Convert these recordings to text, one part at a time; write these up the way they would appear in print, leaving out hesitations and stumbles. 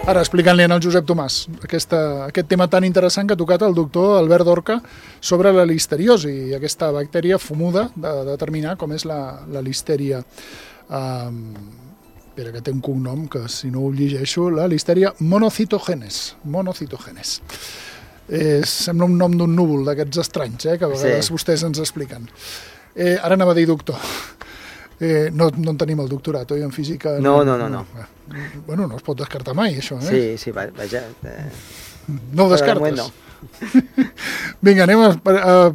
Ara, explicant-li al Josep Tomàs aquest tema tan interessant que ha tocat el doctor Albert Dorca sobre la listeriosi i aquesta bactèria fumuda de determinar com és la listeria. Espera, que té un cognom que, si no ho llegeixo, la listeria monocitogenes. Sembla un nom d'un núvol d'aquests estranys, que a vegades vostès ens expliquen. Ara anava a dir doctor. No en tenim el doctorat, oi, en física? No. Bueno, no es pot descartar mai, això, Sí, vaja. No ho descartes? No. Vinga, anem a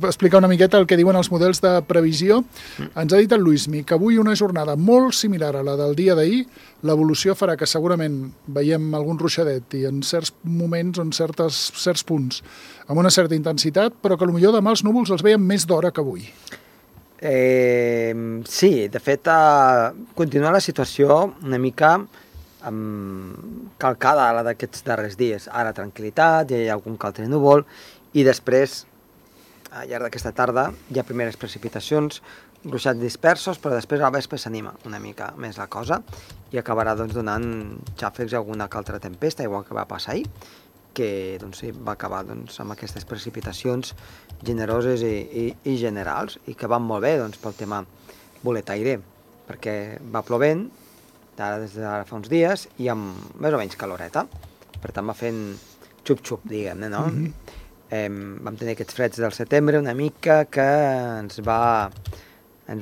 explicar una miqueta el que diuen els models de previsió. Ens ha dit el Luismi que avui una jornada molt similar a la del dia d'ahir, l'evolució farà que segurament veiem algun ruixadet i en certs moments, en certs punts, amb una certa intensitat, però que potser demà els núvols els veiem més d'hora que avui. Sí, de fet, continua la situació una mica calcada a la d'aquests darrers dies. Ara tranquil·litat, ja hi ha algun que altre núvol, i després, al llarg d'aquesta tarda, hi ha primeres precipitacions, ruixats dispersos, però després al vespre s'anima una mica més la cosa i acabarà donant xàfecs a alguna que altra tempesta, igual que va passar ahir, que va acabar amb aquestes precipitacions generoses i generals, i que van molt bé pel tema boletaire, perquè va plovent des d'ara fa uns dies i amb més o menys caloreta, per tant va fent xup-xup, diguem-ne, no? Vam tenir aquests freds del setembre una mica que ens va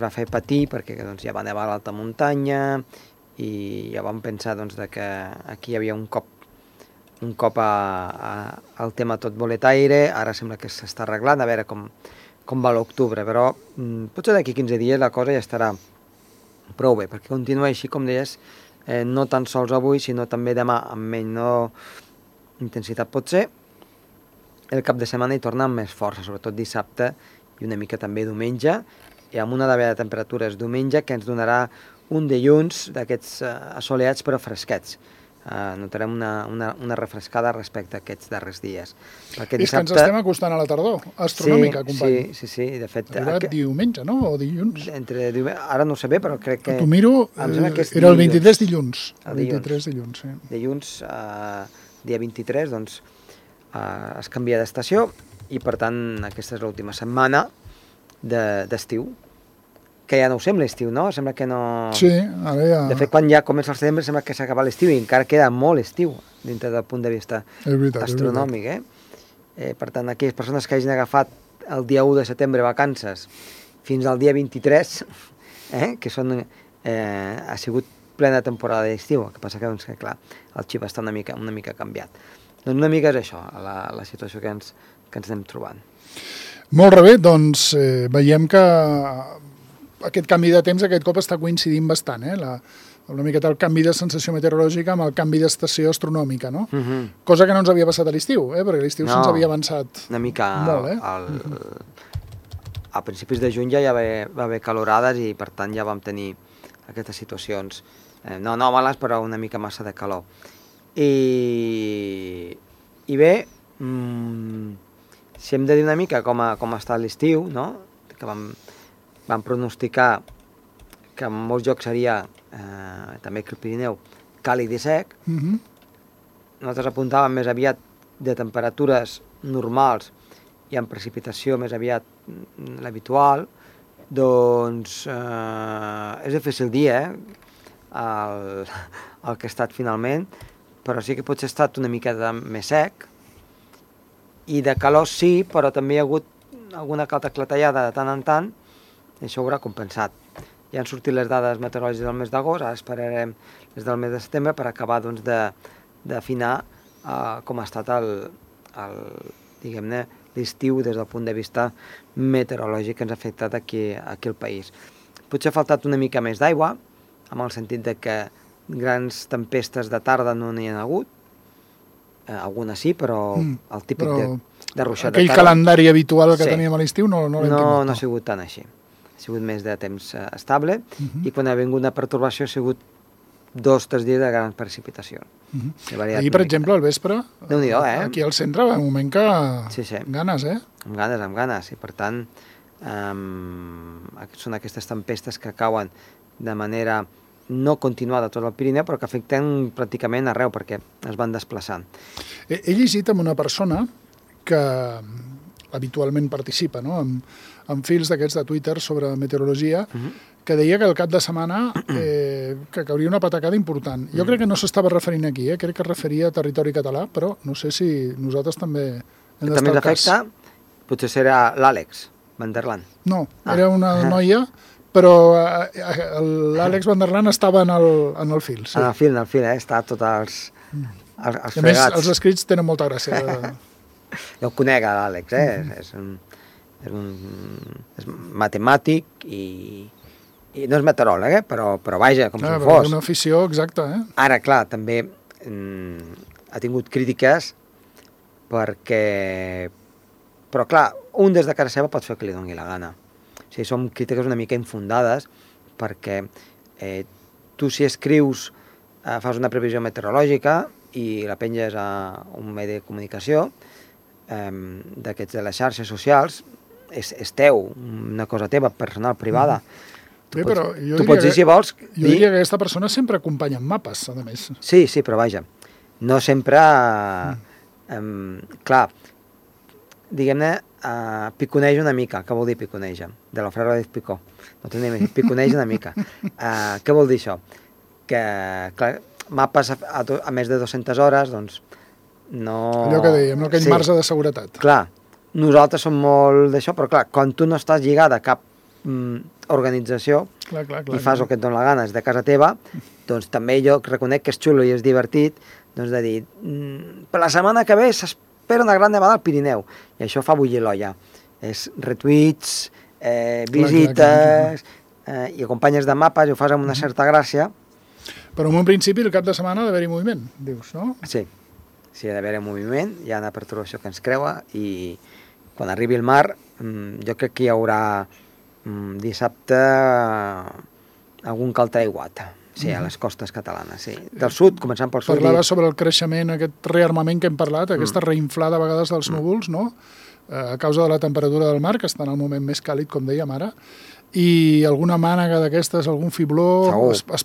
fer patir perquè ja va nevar a l'alta muntanya i ja vam pensar que aquí hi havia un cop al tema tot boletaire. Ara sembla que s'està arreglant, a veure com va l'octubre, però potser d'aquí 15 dies la cosa ja estarà prou bé, perquè continua així, com deies, no tan sols avui, sinó també demà, amb menys intensitat potser. El cap de setmana hi torna amb més força, sobretot dissabte i una mica també diumenge, i amb una davallada de temperatures diumenge que ens donarà un dilluns d'aquests assolellats però fresquets. Notarem una refrescada respecte a aquests darrers dies. Perquè dissabte... És que ens estem acostant a la tardor astronòmica, company. Sí, de fet... Arriba diumenge, no? O dilluns? Ara no ho sé bé, però crec que... T'ho miro, era el 23 dilluns. El 23 dilluns, sí. Dilluns, dia 23, es canvia d'estació i, per tant, aquesta és l'última setmana d'estiu. Que ja no ho sembla estiu, no? Sembla que no... Sí, ara ja... De fet, quan ja comença el setembre sembla que s'acaba l'estiu i encara queda molt estiu dintre del punt de vista astronòmic, Per tant, aquelles persones que hagin agafat el dia 1 de setembre vacances fins al dia 23, que ha sigut plena temporada d'estiu, el que passa que, clar, el xip està una mica canviat. Doncs una mica és això, la situació que ens anem trobant. Molt bé, doncs veiem que aquest canvi de temps aquest cop està coincidint bastant, una miqueta el canvi de sensació meteorològica amb el canvi d'estació astronòmica, no? Cosa que no ens havia passat a l'estiu, perquè l'estiu se'ns havia avançat una mica molt, a principis de juny ja va haver calorades i per tant ja vam tenir aquestes situacions no males, però una mica massa de calor. I bé, si hem de dir una mica com ha estat l'estiu, no? Que vam pronosticar que en molts llocs seria, també que el Pirineu, càlid i sec. Nosaltres apuntàvem més aviat de temperatures normals i amb precipitació més aviat l'habitual. Doncs és difícil dir el que ha estat finalment, però sí que potser ha estat una mica més sec, i de calor sí, però també hi ha hagut alguna altra clatellada de tant en tant, i això ho haurà compensat. Ja han sortit les dades meteorològiques del mes d'agost, ara esperarem les del mes de setembre per acabar d'afinar com ha estat diguem-ne, l'estiu des del punt de vista meteorològic que ens ha afectat aquí al país. Potser ha faltat una mica més d'aigua, amb el sentit de que grans tempestes de tarda no n'hi ha hagut, algunes sí, però el típic de ruixat de tarda... Aquell calendari habitual que teníem a l'estiu no l'hem tingut. No ha sigut tant així. Ha sigut més de temps estable i quan ha vingut una pertorbació ha sigut 2 o 3 dies de grans precipitacions. Ahir, per exemple, al vespre, Déu-n'hi-do, aquí al centre, va un moment que... Sí. Ganes, Amb ganes, i per tant són aquestes tempestes que cauen de manera no continuada tot el Pirineu, però que afecten pràcticament arreu, perquè es van desplaçant. He llegit amb una persona que habitualment participa, no?, en fils d'aquests de Twitter sobre meteorologia, que deia que el cap de setmana que cauria una patacada important. Jo crec que no s'estava referint aquí, crec que es referia a territori català, però no sé si nosaltres també hem d'estar al cas. També ens afecta, potser serà l'Àlex Van der Laan. No, era una noia, però l'Àlex Van der Laan estava en el fil. Sí. En el fil, està tots els fregats. A més, els escrits tenen molta gràcia. Jo el conec, l'Àlex, és matemàtic i no és meteoròleg, però vaja, com si fos. Una afició exacta, Ara, clar, també ha tingut crítiques perquè... Però, clar, un des de casa seva pot fer el que li doni la gana. O sigui, són crítiques una mica infundades perquè tu, si escrius, fas una previsió meteorològica i la penges a un medi de comunicació d'aquests de les xarxes socials, és teu, una cosa teva, personal, privada. Tu pots dir, si vols... Jo diria que aquesta persona sempre acompanya amb mapes, a més. Sí, però vaja, no sempre... Clar, diguem-ne, piconeja una mica. Què vol dir piconeja? De la frase de Picó. No tenim piconeja una mica. Què vol dir això? Que, clar, mapes a més de 200 hores, doncs, no... Allò que dèiem, no? Aquell marge de seguretat. Clar, nosaltres som molt d'això, però clar, quan tu no estàs lligada a cap organització i fas el que et dona la gana, és de casa teva, doncs també jo reconec que és xulo i és divertit, doncs de dir, per la setmana que ve s'espera una gran nevada al Pirineu, i això fa bullir l'olla. És retuits, visites, i acompanyes de mapes i ho fas amb una certa gràcia. Però en un principi el cap de setmana ha d'haver-hi moviment, dius, no? Sí, ha d'haver-hi moviment, hi ha una perturbació que ens creua i quan arribi el mar jo crec que hi haurà dissabte algun que altre aiguat, a les costes catalanes, del sud, començant pel sud. Parlava sobre el creixement, aquest rearmament que hem parlat, aquesta reinflada a vegades dels núvols, no?, a causa de la temperatura del mar, que està en el moment més càlid, com dèiem ara, i alguna mànega d'aquestes, algun fibló, es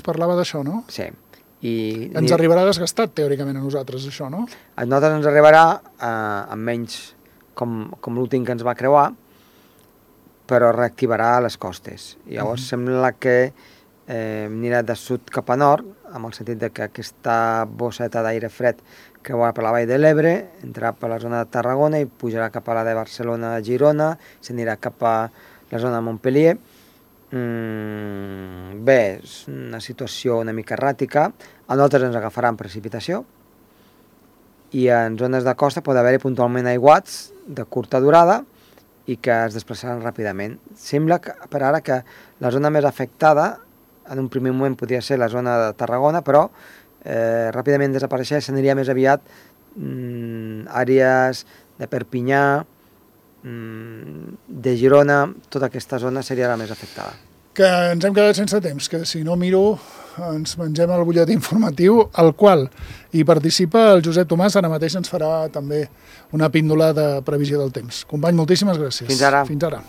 parlava d'això, no? Sí. Ens arribarà desgastat, teòricament, a nosaltres, això, no? A nosaltres ens arribarà amb menys com l'últim que ens va creuar, però reactivarà les costes. I llavors sembla que anirà de sud cap a nord, amb el sentit que aquesta bosseta d'aire fred creuarà per la vall de l'Ebre, entrarà per la zona de Tarragona i pujarà cap a la de Barcelona, Girona, s'anirà cap a la zona de Montpellier. Bé, és una situació una mica erràtica. A nosaltres ens agafarà en precipitació i en zones de costa pot haver-hi puntualment aiguats de curta durada i que es desplaçaran ràpidament. Sembla que, per ara, que la zona més afectada en un primer moment podria ser la zona de Tarragona, però ràpidament desapareixerà, s'aniria més aviat àrees de Perpinyà, de Girona, tota aquesta zona seria la més afectada. Que ens hem quedat sense temps, que si no miro ens mengem el butlletí informatiu, al qual hi participa el Josep Tomàs, ara mateix ens farà també una píndola de previsió del temps. Company, moltíssimes gràcies. Fins ara. Fins ara.